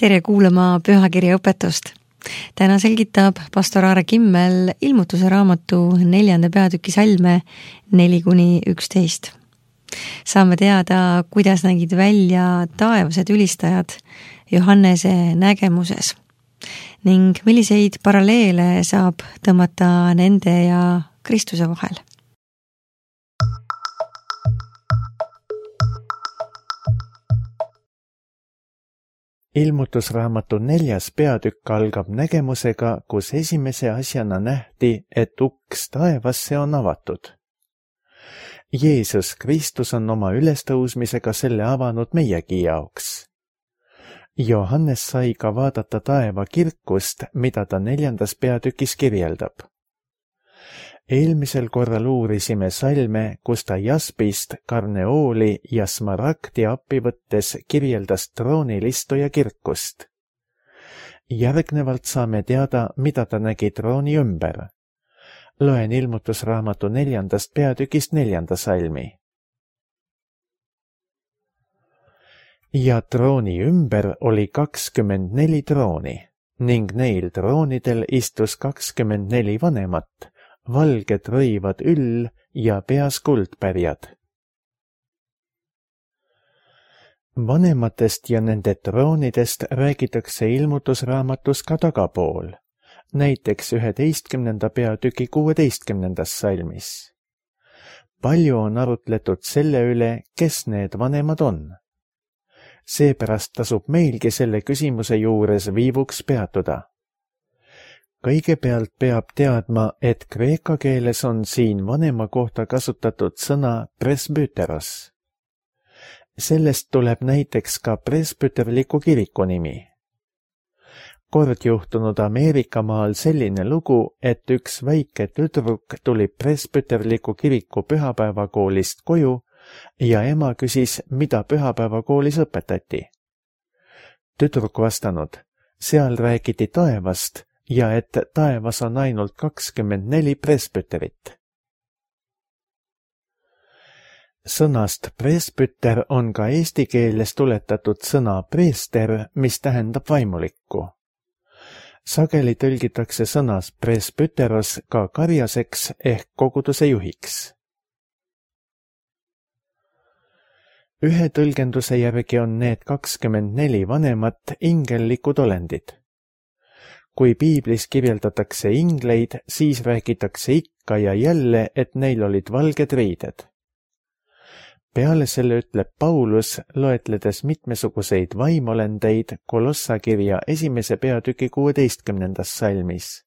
tere kuulama pühakirja õpetust. Täna selgitab pastor Aare Kimmel ilmutuse raamatu 4. peatüki salme 4-11. Saame teada, kuidas nägid välja taevased ülistajad Johannese nägemuses ning milliseid paralleele saab tõmmata nende ja Kristuse vahel. Ilmutusraamatu 4. peatükk algab nägemusega, kus esimese asjana nähti, et uks taevasse on avatud. Jeesus Kristus on oma ülestõusmisega selle avanud meiegi jaoks. Johannes sai ka vaadata taeva kirkust, mida ta 4. peatükis kirjeldab. Eelmisel korral uurisime salme, kus ta jaspist, karneooli ja smaragdi appi võttes kirjeldas troonilistuja kirkust. Järgnevalt saame teada, mida ta nägi trooni ümber. Loen ilmutusraamatu 4. peatükist 4. salmi. Ja trooni ümber oli 24 trooni ning neil troonidel istus 24 vanemat, valged rõivad üll ja peas kuldpärjad. Vanematest ja nende troonidest räägitakse ilmutusraamatus ka tagapool, näiteks 11. peatüki 16. salmis. Palju on arutletud selle üle, kes need vanemad on. Seepärast tasub meilgi selle küsimuse juures viivuks peatuda. Kõigepealt peab teadma, et kreeka keeles on siin vanema kohta kasutatud sõna presbyteros. Sellest tuleb näiteks ka presbyterliku kiriku nimi. Kord juhtunud Ameerikamaal selline lugu, et üks väike tüdruk tuli presbyterliku kiriku pühapäevakoolist koju ja ema küsis, mida pühapäevakoolis õpetati. Tüdruk vastanud, seal räägiti taevast ja et taevas on ainult 24 presbyterit. Sõnast presbyter on ka eesti keeles tuletatud sõna preester, mis tähendab vaimulikku. Sageli tõlgitakse sõnas presbyteros ka karjaseks ehk koguduse juhiks. Ühe tõlgenduse järgi on need 24 vanemat ingellikud olendid. Kui piiblis kirjeldatakse ingleid, siis räägitakse ikka ja jälle, et neil olid valged riided. Peale selle ütleb Paulus, loetledes mitmesuguseid vaimolendeid Kolossakirja 1. peatüki 16. salmis.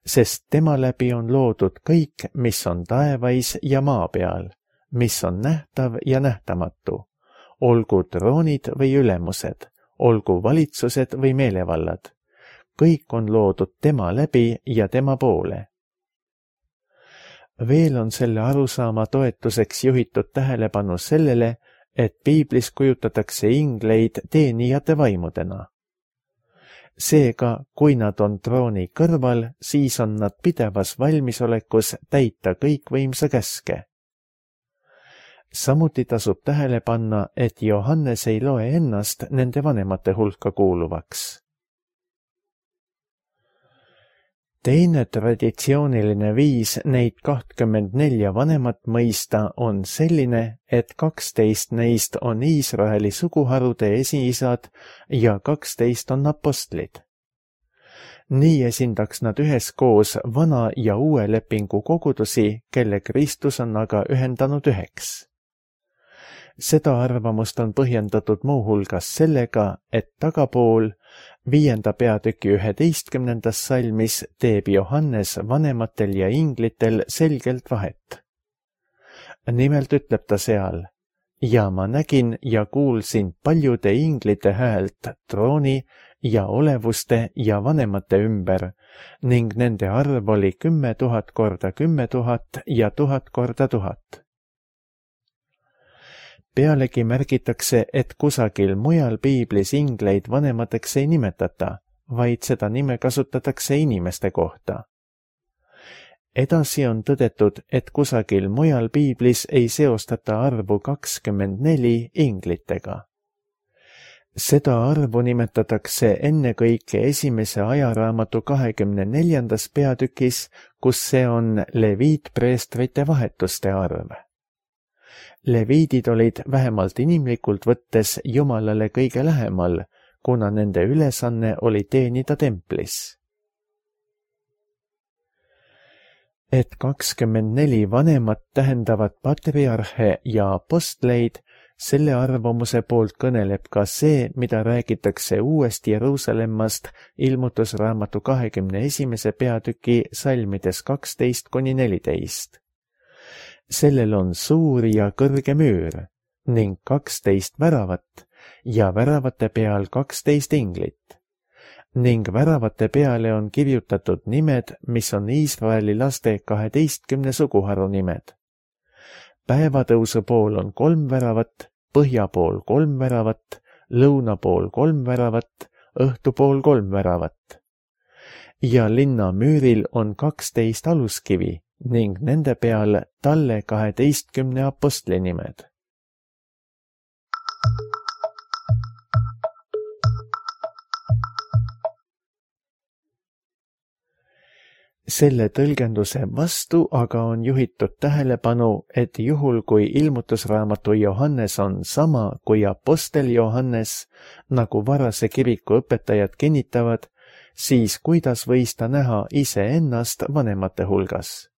Sest tema läbi on loodud kõik, mis on taevais ja maa peal, mis on nähtav ja nähtamatu, olgu troonid või ülemused, olgu valitsused või meelevallad. Kõik on loodud tema läbi ja tema poole. Veel on selle arusaama toetuseks juhitud tähelepanu sellele, et piiblis kujutatakse ingleid teenijate vaimudena. Seega, kui nad on trooni kõrval, siis on nad pidevas valmisolekus täita kõikvõimsa käske. Samuti tasub tähele panna, et Johannes ei loe ennast nende vanemate hulka kuuluvaks. Teine traditsiooniline viis neid 24 vanemat mõista on selline, et 12 neist on Iisraeli suguharude esiisad ja 12 on apostlid. Nii esindaks nad üheskoos vana ja uue lepingu kogudusi, kelle Kristus on aga ühendanud üheks. Seda arvamust on põhjendatud muuhulgas sellega, et tagapool 5. peatüki 11. salmis teeb Johannes vanematel ja inglitel selgelt vahet. Nimelt ütleb ta seal, ja ma nägin ja kuulsin paljude inglite häält trooni ja olevuste ja vanemate ümber ning nende arv oli 10 000 korda 10 000 ja 1000 korda 1000. Pealegi märgitakse, et kusagil mujal piiblis ingleid vanemateks ei nimetata, vaid seda nime kasutatakse inimeste kohta. Edasi on tõdetud, et kusagil mujal piiblis ei seostata arvu 24 inglitega. Seda arvu nimetatakse ennekõike esimese ajaraamatu 24. peatükis, kus see on leviitpreestrite vahetuste arv. Leviidid olid vähemalt inimlikult võttes Jumalale kõige lähemal, kuna nende ülesanne oli teenida templis. Et 24 vanemat tähendavad patriarhe ja apostleid, selle arvamuse poolt kõneleb ka see, mida räägitakse uuest Jeruusalemmast ilmutusraamatu 21. peatüki salmides 12–14. Sellel on suur ja kõrge müür ning 12 väravat ja väravate peal 12 inglit. Ning väravate peale on kirjutatud nimed, mis on Iisraeli laste 12 suguharu nimed. Päevatõusu pool on 3 väravat, põhja pool 3 väravat, lõuna pool 3 väravat, õhtu pool 3 väravat. Ja linna müüril on 12 aluskivi ning nende peal talle 12 apostli nimed. Selle tõlgenduse vastu aga on juhitud tähelepanu, et juhul kui ilmutusraamatu Johannes on sama kui apostel Johannes, nagu varase kiriku õpetajad kinnitavad, siis kuidas võis ta näha iseennast vanemate hulgas?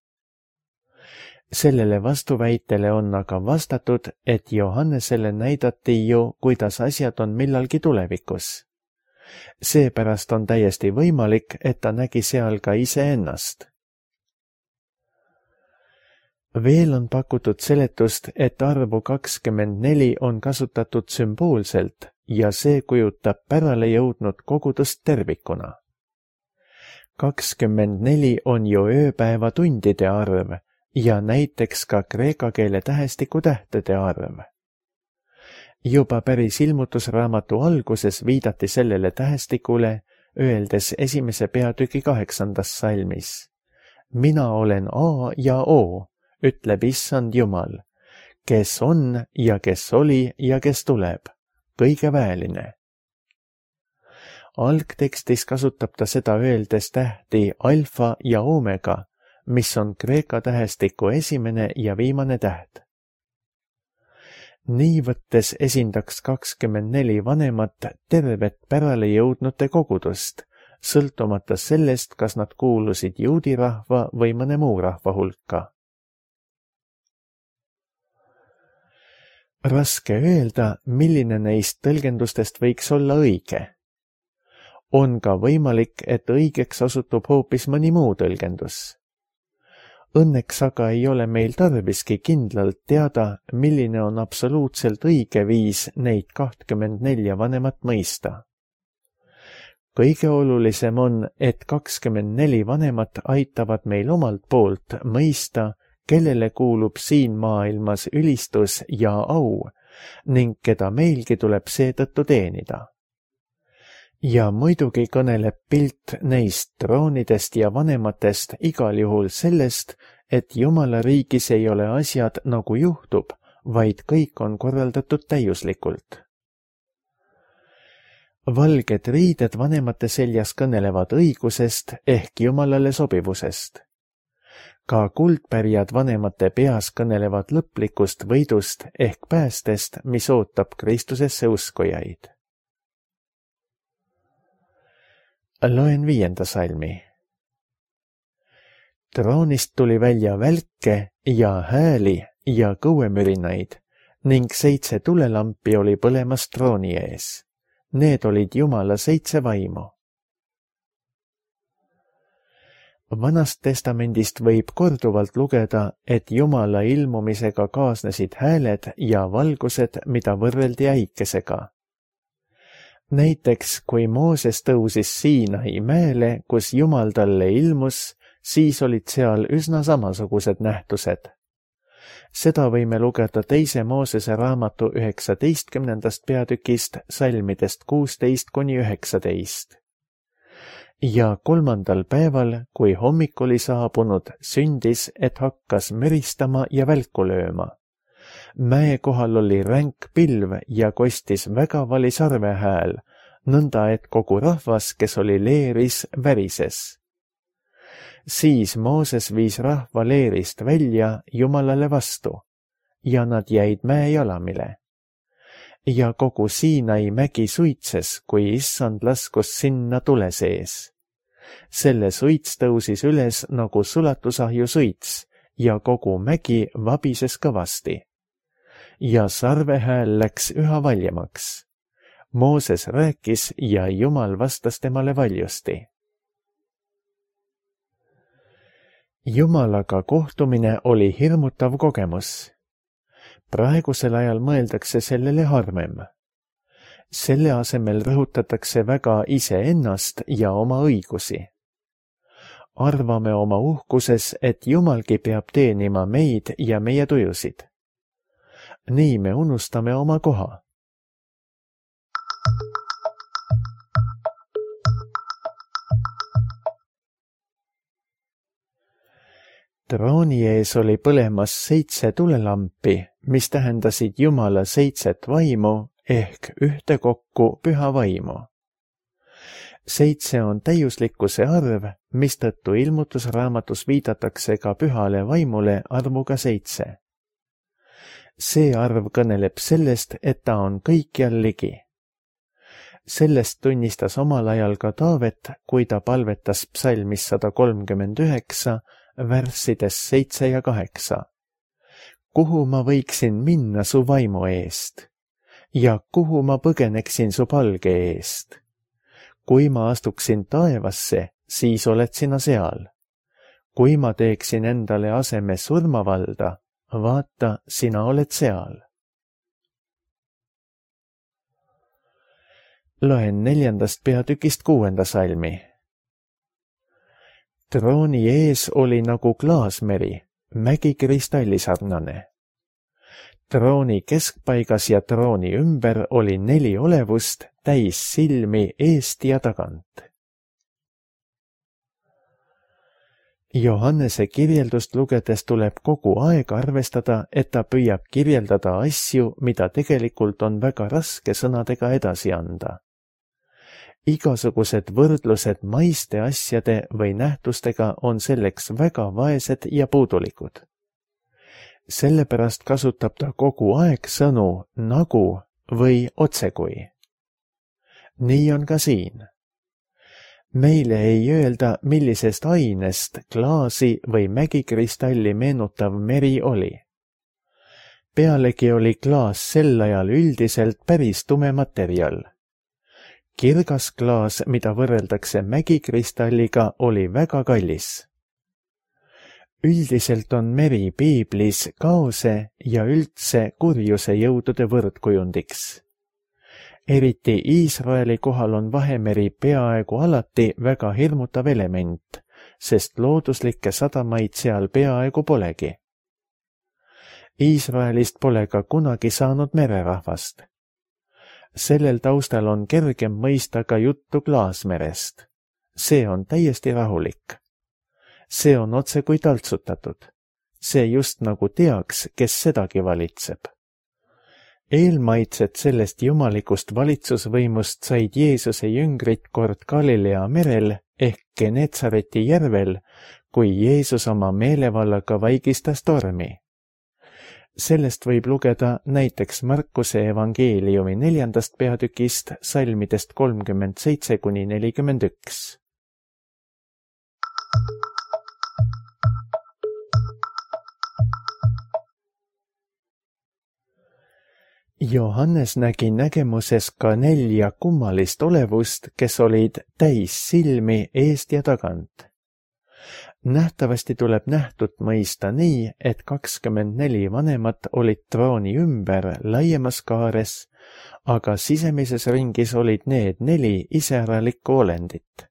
Sellele vastuväitele on aga vastatud, et Johannesele näidati ju, kuidas asjad on millalgi tulevikus. Seepärast on täiesti võimalik, et ta nägi seal ka iseennast. Veel on pakutud seletust, et arvu 24 on kasutatud sümboolselt ja see kujutab pärale jõudnud kogudust tervikuna. 24 on ju ööpäeva tundide arv ja näiteks ka kreeka keele tähestiku tähtede arv. Juba päris ilmutusraamatu alguses viidati sellele tähestikule, öeldes 1. peatüki 8. salmis. Mina olen A ja O, ütleb Issand Jumal, kes on ja kes oli ja kes tuleb, kõige väeline. Algtekstis kasutab ta seda öeldes tähti alfa ja omega, mis on kreeka tähestiku esimene ja viimane täht. Nii võttes esindaks 24 vanemat tervet pärale jõudnute kogudust, sõltumata sellest, kas nad kuulusid juudi rahva või mõne muu rahva hulka. Raske öelda, milline neist tõlgendustest võiks olla õige. On ka võimalik, et õigeks osutub hoopis mõni muu tõlgendus. Õnneks aga ei ole meil tarviski kindlalt teada, milline on absoluutselt õige viis neid 24 vanemat mõista. Kõige olulisem on, et 24 vanemat aitavad meil omalt poolt mõista, kellele kuulub siin maailmas ülistus ja au ning keda meilgi tuleb seetõttu teenida. Ja muidugi kõneleb pilt neist troonidest ja vanematest igal juhul sellest, et Jumala riigis ei ole asjad nagu juhtub, vaid kõik on korraldatud täiuslikult. Valged riided vanemate seljas kõnelevad õigusest ehk Jumalale sobivusest. Ka kuldpärjad vanemate peas kõnelevad lõplikust võidust ehk päästest, mis ootab Kristusesse uskujaid. Loen 5. salmi. Troonist tuli välja välke ja hääli ja kõuemürinaid ning 7 tulelampi oli põlemas trooni ees. Need olid Jumala 7 vaimu. Vanast testamendist võib korduvalt lugeda, et Jumala ilmumisega kaasnesid hääled ja valgused, mida võrreldi äikesega. Näiteks, kui Mooses tõusis Siinai mäele, kus Jumal talle ilmus, siis olid seal üsna samasugused nähtused. Seda võime lugeda 2. Moosese raamatu 19. peatükist salmidest 16–19. Ja 3. päeval, kui hommik oli saabunud, sündis, et hakkas müristama ja välku lööma. Mäe kohal oli ränk pilv ja kostis väga vali sarvehääl, nõnda et kogu rahvas, kes oli leeris, värises. Siis Mooses viis rahva leerist välja Jumalale vastu ja nad jäid mäejalamile. Ja kogu Siinai mägi suitses, kui issand laskus sinna tule sees. Selle suits tõusis üles nagu sulatusahju suits ja kogu mägi vabises kõvasti. Ja sarvehääl läks üha valjemaks. Mooses rääkis ja Jumal vastas temale valjusti. Jumalaga kohtumine oli hirmutav kogemus. Praegusel ajal mõeldakse sellele harvem. Selle asemel rõhutatakse väga iseennast ja oma õigusi. Arvame oma uhkuses, et Jumalgi peab teenima meid ja meie tujusid. Nii me unustame oma koha. Trooni ees oli põlemas 7 tulelampi, mis tähendasid Jumala 7 vaimu ehk ühtekokku püha vaimu. 7 on täiuslikkuse arv, mistõttu ilmutusraamatus viidatakse ka pühale vaimule arvuga 7. See arv kõneleb sellest, et ta on kõikjal ligi. Sellest tunnistas omal ajal ka Taavet, kui ta palvetas psalmis 139, värssides 7 ja 8. Kuhu ma võiksin minna su vaimu eest ja kuhu ma põgeneksin su palge eest? Kui ma astuksin taevasse, siis oled sina seal. Kui ma teeksin endale aseme surmavalda, vaata, sina oled seal. Loen 4. peatükist 6. salmi. Trooni ees oli nagu klaasmeri, mägi kristallisarnane. Trooni keskpaigas ja trooni ümber oli 4 olevust täis silmi eest ja tagant. Johannese kirjeldust lugedes tuleb kogu aeg arvestada, et ta püüab kirjeldada asju, mida tegelikult on väga raske sõnadega edasi anda. Igasugused võrdlused maiste asjade või nähtustega on selleks väga vaesed ja puudulikud. Sellepärast kasutab ta kogu aeg sõnu nagu või otsekui. Nii on ka siin. Meile ei öelda, millisest ainest klaasi või mägikristalli meenutav meri oli. Pealegi oli klaas sel ajal üldiselt päris tume materjal. Kirgas klaas, mida võrreldakse mägikristalliga, oli väga kallis. Üldiselt on meri piiblis kaose ja üldse kurjuse jõudude võrdkujundiks. Eriti Iisraeli kohal on Vahemeri peaaegu alati väga hirmutav element, sest looduslikke sadamaid seal peaaegu polegi. Iisraelist pole ka kunagi saanud mererahvast. Sellel taustal on kergem mõista ka juttu klaasmerest. See on täiesti rahulik. See on otse kui taltsutatud. See just nagu teaks, kes sedagi valitseb. Eelmaitsed sellest jumalikust valitsusvõimust said Jeesuse jüngrid kord Galilea merel ehk Genetsareti järvel, kui Jeesus oma meelevallaga vaigistas tormi. Sellest võib lugeda näiteks Markuse evangeeliumi 4. peatükist salmidest 37–41. Johannes nägi nägemuses ka 4 kummalist olevust, kes olid täis silmi eest ja tagant. Nähtavasti tuleb nähtut mõista nii, et 24 vanemat olid trooni ümber laiemas kaares, aga sisemises ringis olid need 4 iseäralikku olendit.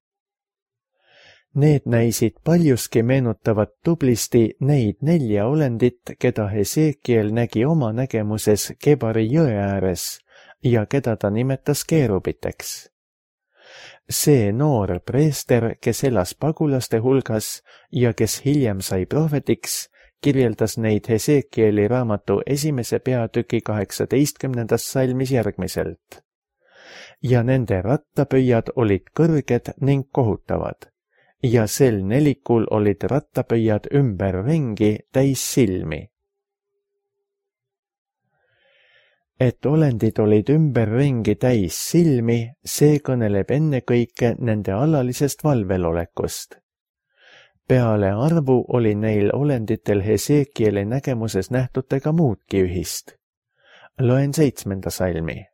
Need näisid paljuski meenutavat tublisti neid 4 olendit, keda Hesekiel nägi oma nägemuses Kebari jõe ääres ja keda ta nimetas keerubiteks. See noor preester, kes elas pagulaste hulgas ja kes hiljem sai prohvetiks, kirjeldas neid Hesekieli raamatu 1. peatüki 18. salmis järgmiselt. Ja nende rattapöiad olid kõrged ning kohutavad ja sel nelikul olid rattapöiad ümberringi täis silmi. Et olendid olid ümberringi täis silmi, see kõneleb ennekõike nende alalisest valvelolekust. Peale arvu oli neil olenditel Hesekieli nägemuses nähtutega muudki ühist. Loen 7. salmi.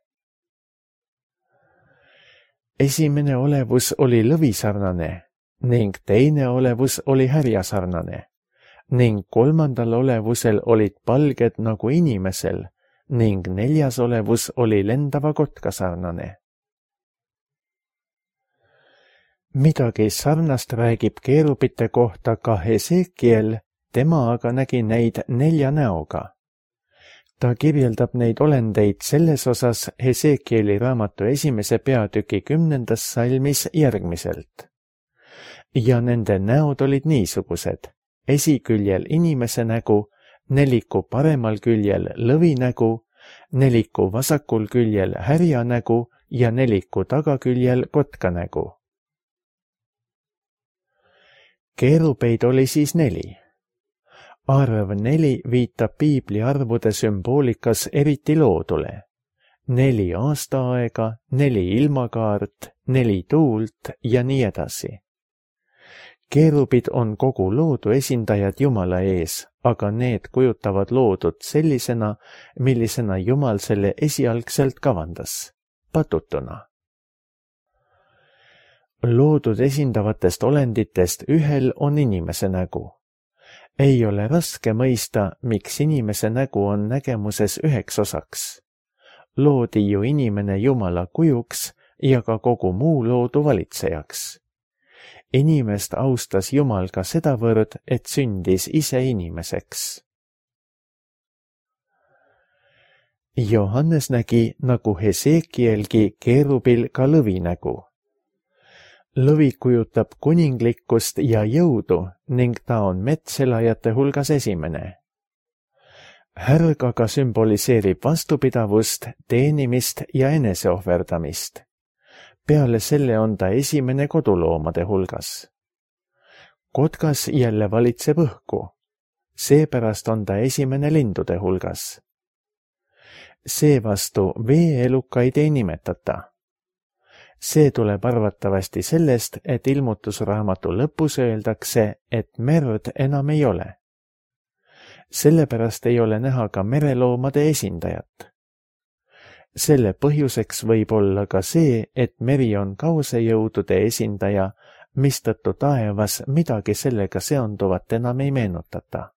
Esimene olevus oli lõvisarnane ning teine olevus oli härjasarnane ning kolmandal olevusel olid palged nagu inimesel ning neljas olevus oli lendava kotka sarnane. Midagi sarnast räägib keerubite kohta ka Hesekiel, tema aga nägi neid 4 näoga. Ta kirjeldab neid olendeid selles osas Hesekieli raamatu 1. peatüki 10. salmis järgmiselt. Ja nende näod olid niisugused, esiküljel inimese nägu, neliku paremal küljel lõvi nägu, neliku vasakul küljel härja nägu ja neliku tagaküljel kotka nägu. Keerubeid oli siis 4. Arv 4 viitab piibli arvude sümboolikas eriti loodule. 4 aastaaega, 4 ilmakaart, 4 tuult ja nii edasi. Keerubid on kogu loodu esindajad Jumala ees, aga need kujutavad loodut sellisena, millisena Jumal selle esialgselt kavandas, patutuna. Loodud esindavatest olenditest ühel on inimese nägu. Ei ole raske mõista, miks inimese nägu on nägemuses 1 osaks. Loodi ju inimene Jumala kujuks ja ka kogu muu loodu valitsejaks. Inimest austas Jumal ka sedavõrd, et sündis ise inimeseks. Johannes nägi, nagu Hesekielgi, keerubil ka lõvi nägu. Lõvi kujutab kuninglikkust ja jõudu ning ta on metselajate hulgas esimene. Härg aga sümboliseerib vastupidavust, teenimist ja eneseohverdamist. Peale selle on ta esimene koduloomade hulgas. Kotkas jälle valitseb õhku. Seepärast on ta esimene lindude hulgas. Seevastu veeelukaid ei nimetata. See tuleb arvatavasti sellest, et ilmutusraamatu lõpus öeldakse, et merd enam ei ole. Sellepärast ei ole näha ka mereloomade esindajat. Selle põhjuseks võib olla ka see, et meri on kaosejõudude esindaja, mistõttu taevas midagi sellega seonduvat enam ei meenutata.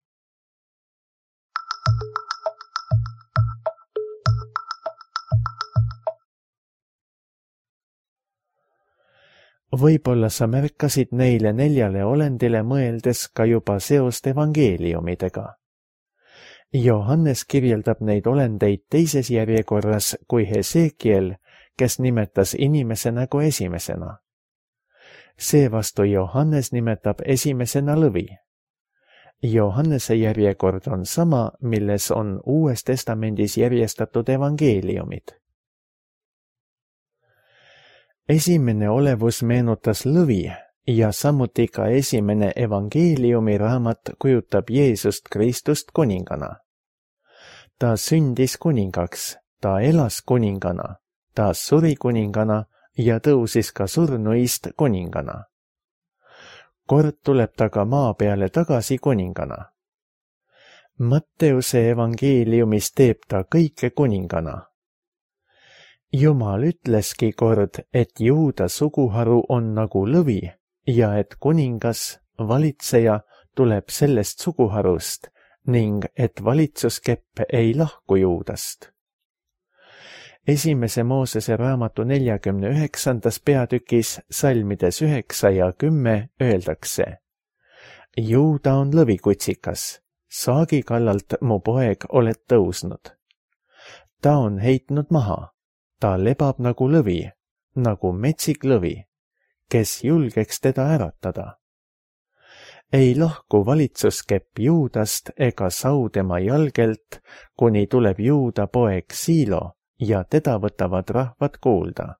Võib-olla sa märkasid neile 4 olendile mõeldes ka juba seost evangeeliumidega. Johannes kirjeldab neid olendeid teises järjekorras kui Hesekiel, kes nimetas inimese nägu esimesena. Seevastu Johannes nimetab esimesena lõvi. Johannese järjekord on sama, milles on Uues Testamendis järjestatud evangeeliumid. Esimene olevus meenutas lõvi ja samuti ka esimene evangeeliumi raamat kujutab Jeesust Kristust kuningana. Ta sündis kuningaks, ta elas kuningana, ta suri kuningana ja tõusis ka surnuist kuningana. Kord tuleb ta ka maa peale tagasi kuningana. Matteuse evangeeliumis teeb ta kõike kuningana. Jumal ütleski kord, et Juuda suguharu on nagu lõvi ja et kuningas, valitseja tuleb sellest suguharust ning et valitsuskepp ei lahku Juudast. Esimese Moosese raamatu 49. peatükis salmides 9 ja 10 öeldakse: Juuda on lõvikutsikas, saagi kallalt mu poeg oled tõusnud. Ta on heitnud maha. Ta lebab nagu lõvi, nagu metsik lõvi, kes julgeks teda äratada. ei lahku valitsuskepp Juudast ega sau tema jalgelt, kuni tuleb Juuda poeg Siilo ja teda võtavad rahvad kuulda.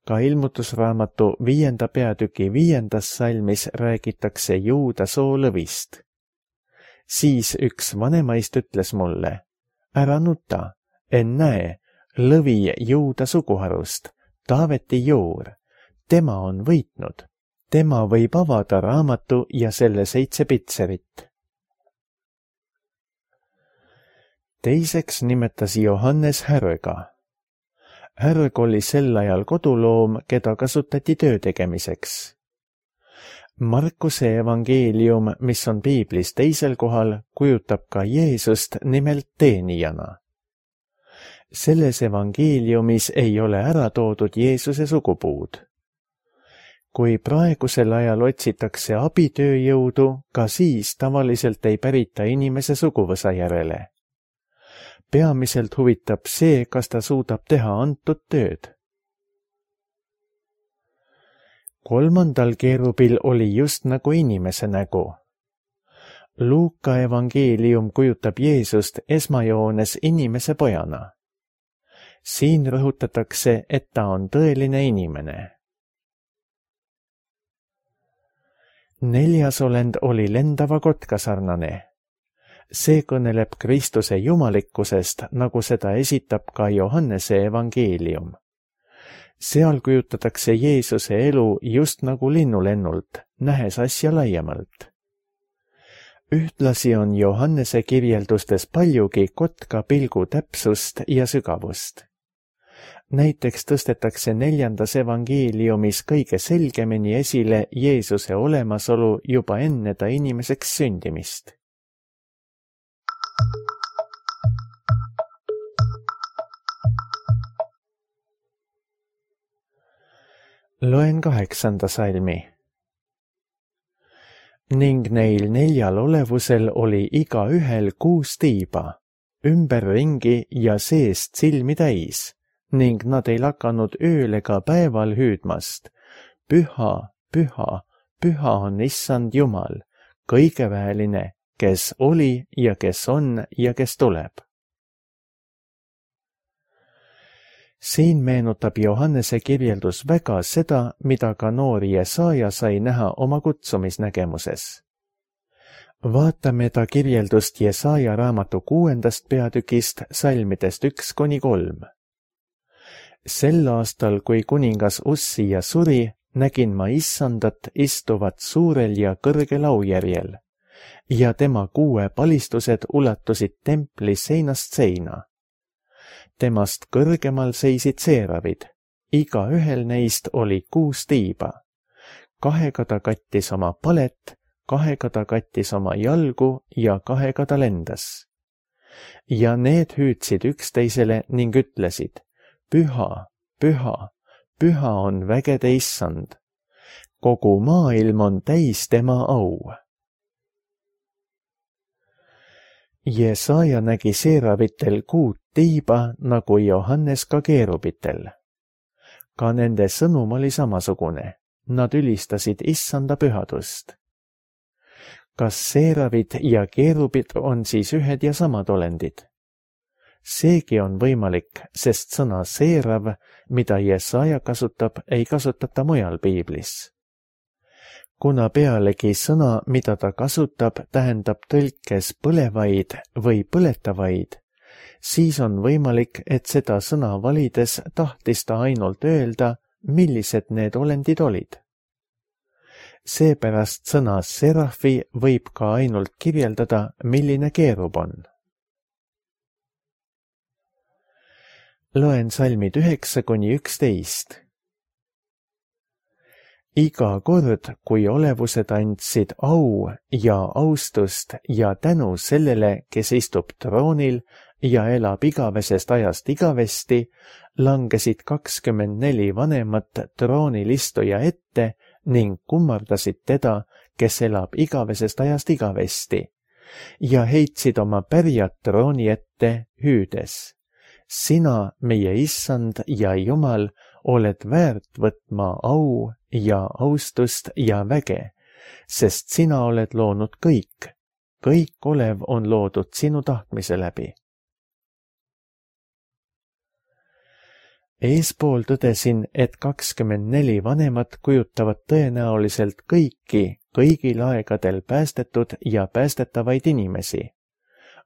Ka ilmutusraamatu 5. peatüki 5. salmis räägitakse Juuda soolõvist. Siis üks vanemaist ütles mulle, ära nuta, ennäe, lõvi Juuda suguharust, Taaveti juur, tema on võitnud. Tema võib avada raamatu ja selle 7 pitserit. Teiseks nimetas Johannes härga. Härg oli sel ajal koduloom, keda kasutati töö tegemiseks. Markuse evangeelium, mis on piiblis teisel kohal, kujutab ka Jeesust nimelt teenijana. Selles evangeeliumis ei ole ära toodud Jeesuse sugupuud. Kui praegusel ajal otsitakse abitööjõudu, ka siis tavaliselt ei pärita inimese suguvõsa järele. Peamiselt huvitab see, kas ta suudab teha antud tööd. 3. keerubil oli just nagu inimese nägu. Luuka evangeelium kujutab Jeesust esmajoones inimese pojana. Siin rõhutatakse, et ta on tõeline inimene. 4. olend oli lendava kotka sarnane. See kõneleb Kristuse jumalikkusest, nagu seda esitab ka Johannese evangeelium. Seal kujutatakse Jeesuse elu just nagu linnulennult, nähes asja laiemalt. Ühtlasi on Johannese kirjeldustes paljugi kotka pilgu täpsust ja sügavust. Näiteks tõstetakse 4. evangeeliumis kõige selgemini esile Jeesuse olemasolu juba enne ta inimeseks sündimist. Loen 8. salmi. Ning neil 4 olevusel oli igaühel 6 tiiba, ümberringi ja seest silmi täis, ning nad ei lakanud ööl ega päeval hüüdmast. Püha, püha, püha on Issand Jumal, kõigeväeline, kes oli ja kes on ja kes tuleb. Siin meenutab Johannese kirjeldus väga seda, mida ka noor Jesaja sai näha oma kutsumisnägemuses. Vaatame ta kirjeldust Jesaja raamatu 6. peatükist salmidest 1-3. Sel aastal, kui kuningas Ussia suri, nägin ma Issandat istuvat suurel ja kõrgel aujärjel, ja tema 6 palistused ulatusid templi seinast seina. Temast kõrgemal seisid seeravid, igaühel neist oli 6 tiiba. 2 ta kattis oma palet, 2 ta kattis oma jalgu ja 2 ta lendas. Ja need hüüdsid üksteisele ning ütlesid, püha, püha, püha on vägede Issand. Kogu maailm on täis tema au. Jesaja nägi seeravitel 6 tiiba nagu Johannes ka keerubitel. Ka nende sõnum oli samasugune. Nad ülistasid Issanda pühadust. Kas seeravid ja keerubid on siis ühed ja samad olendid? Seegi on võimalik, sest sõna seerav, mida Jesaja kasutab, ei kasutata mujal piiblis. Kuna pealegi sõna, mida ta kasutab, tähendab tõlkes põlevaid või põletavaid, siis on võimalik, et seda sõna valides tahtis ta ainult öelda, millised need olendid olid. Seepärast sõna serafi võib ka ainult kirjeldada, milline keerub on. Loen salmid 9-11. Iga kord, kui olevused andsid au ja austust ja tänu sellele, kes istub troonil ja elab igavesest ajast igavesti, langesid 24 vanemat troonil istuja ette ning kummardasid teda, kes elab igavesest ajast igavesti, ja heitsid oma pärjad trooni ette hüüdes. Sina, meie Issand ja Jumal, oled väärt võtma au ja austust ja väge, sest sina oled loonud kõik. Kõik olev on loodud sinu tahtmise läbi. Eespool tõdesin, et 24 vanemat kujutavad tõenäoliselt kõigil aegadel päästetud ja päästetavaid inimesi.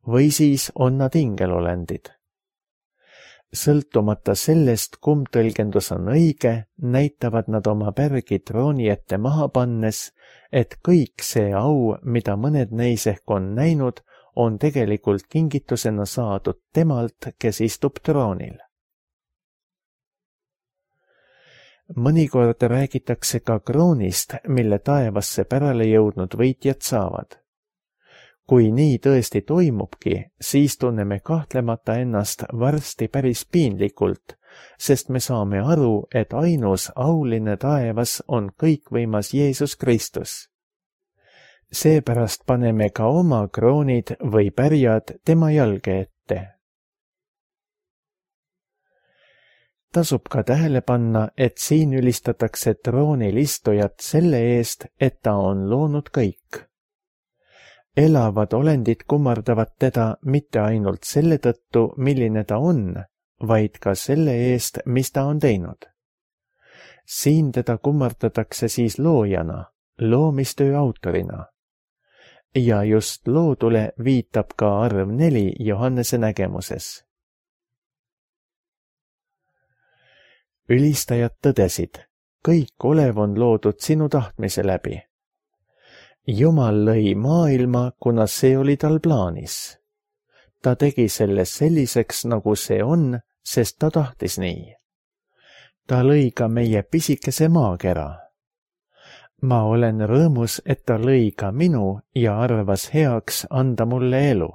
Või siis on nad ingelolendid. Sõltumata sellest, kumb tõlgendus on õige, näitavad nad oma pärgi trooni ette maha pannes, et kõik see au, mida mõned neis ehk on näinud, on tegelikult kingitusena saadud temalt, kes istub troonil. Mõnikord räägitakse ka kroonist, mille taevasse pärale jõudnud võitjad saavad. Kui nii tõesti toimubki, siis tunneme kahtlemata ennast varsti päris piinlikult, sest me saame aru, et ainus auline taevas on kõikvõimas Jeesus Kristus. Seepärast paneme ka oma kroonid või pärjad tema jalge ette. Tasub ka tähele panna, et siin ülistatakse troonil istujat selle eest, et ta on loonud kõik. Elavad olendid kummardavad teda mitte ainult selle tõttu, milline ta on, vaid ka selle eest, mis ta on teinud. Siin teda kummardatakse siis loojana, loomistöö autorina. Ja just loodule viitab ka arv 4 Johannese nägemuses. Ülistajad tõdesid, kõik olev on loodud sinu tahtmise läbi. Jumal lõi maailma, kuna see oli tal plaanis. Ta tegi selle selliseks, nagu see on, sest ta tahtis nii. Ta lõi ka meie pisikese maakera. Ma olen rõõmus, et ta lõi ka minu ja arvas heaks anda mulle elu.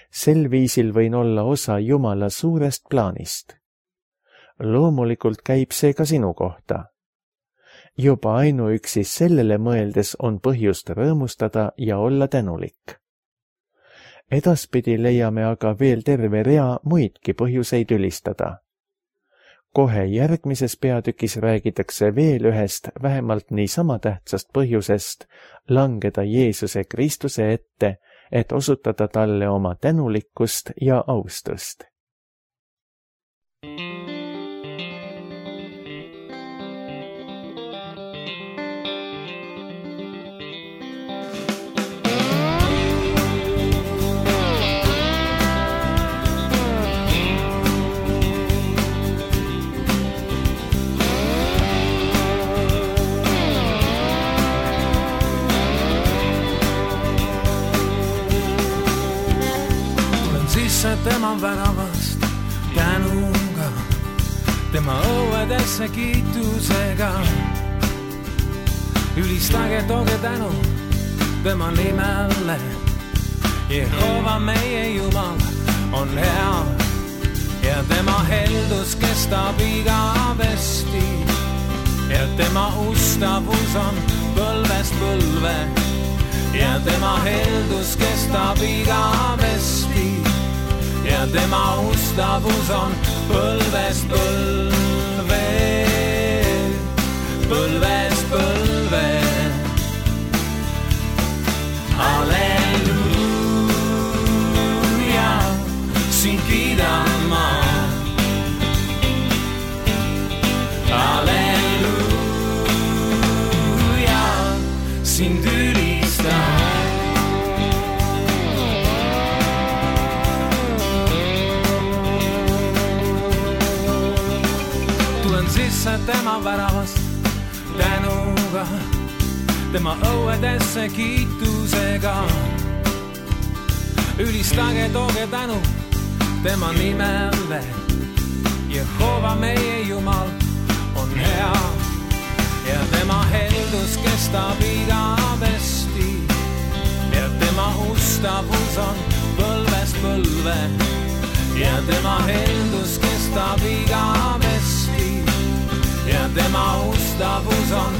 Sel viisil võin olla osa Jumala suurest plaanist. Loomulikult käib see ka sinu kohta. Juba ainuüksi sellele mõeldes on põhjust rõõmustada ja olla tänulik. Edaspidi leiame aga veel terve rea muidki põhjuseid ülistada. Kohe järgmises peatükis räägitakse veel ühest vähemalt niisama tähtsast põhjusest langeda Jeesuse Kristuse ette, et osutada talle oma tänulikkust ja austust. Tema väravast tänuga, tema õuedesse kiitusega. Ülistage, tooge tänu tema nimele. Jehova meie Jumal on hea ja tema heldus kestab igavesti ja tema ustavus on põlvest põlve ja tema heldus kestab igavesti ja tema ustavus on põlvest põlve, põlvest põlve. Halleluuja, sind kiidan ma. Halleluuja, sind ülistan. Sisse tema väravast tänuga, tema õuedesse kiitusega. Ülistage, tooge tänu tema nimele. Jehova meie Jumal on hea ja tema heldus kestab igavesti ja tema ustavus on põlvest põlve ja tema heldus kestab igavesti ja tema ustavus on